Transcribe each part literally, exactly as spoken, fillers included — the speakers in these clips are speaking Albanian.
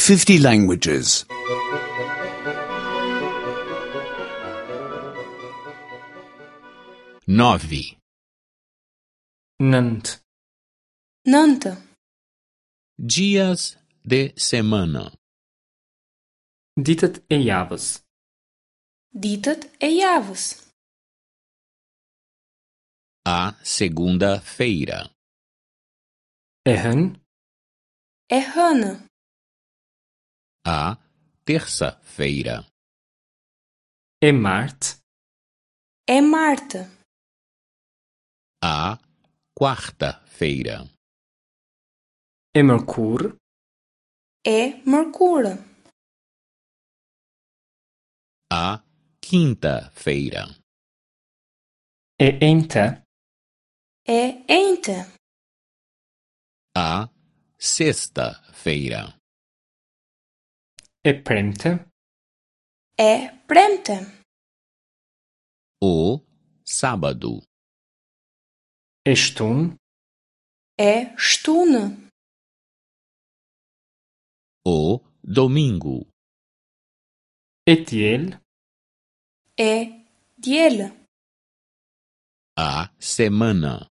fifty languages. Nove, Nëntë. Nëntë. Dias de semana. Ditët e javës. Ditët e javës. A segunda-feira. E hënë, E hënë. A terça-feira. e martë, E martë. A quarta-feira. e mërkurë, E mërkurë. A quinta-feira. E enjte, E enjte. A sexta-feira. E premte, E premte. O sábado. E shtunë, E shtunë. O domingo. E diel, E diel. A semana.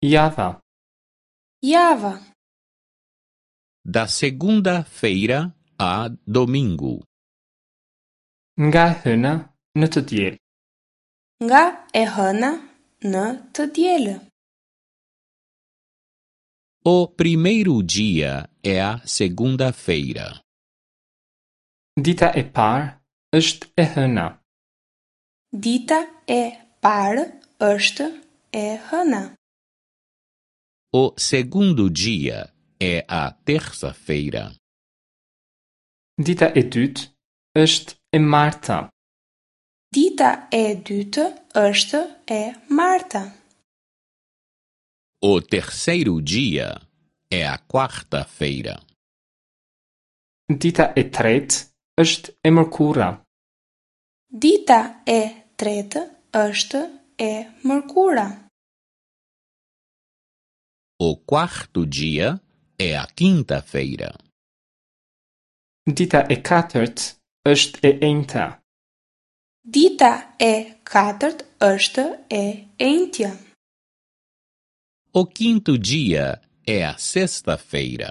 Java, Java. Da segunda-feira a domingo. Nga e hëna në të diel. Nga e hëna në të diel. O primeiro dia é a segunda-feira. Dita e parë është e hëna. Dita e parë është e hëna. O segundo dia é a terça-feira. Dita e dytë është e marta. Dita e dytë është e marta. O terceiro dia é a quarta-feira. Dita e tretë është e mërkura. Dita e tretë është e mërkura. O quarto dia é a quinta-feira. Dita e katërt është e enjta. Dita e katërt është e enjtja. O quinto dia é a sexta-feira.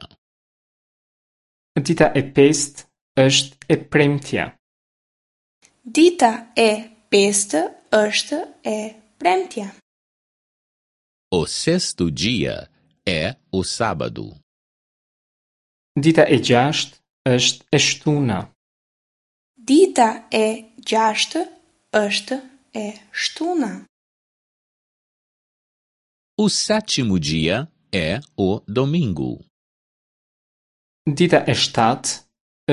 Dita e pestë është e premtja. Dita e pestë është e premtja. O sexto dia é o sábado. Dita e gjashtë është e shtuna. Dita e gjashtë është e shtuna. O sétimo dia é o domingo. Dita e shtatë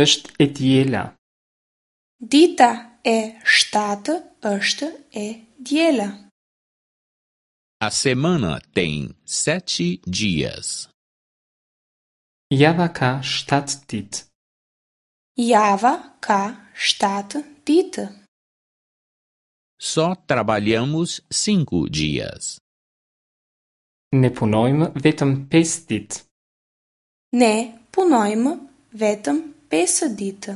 është e diela. Dita e shtatë është e diela. A semana tem sete dias. Java ka shtatë ditë. Java ka shtatë ditë. Só trabalhamos cinco dias. Ne punojmë vetëm pesë ditë. Ne punojmë vetëm pesë ditë.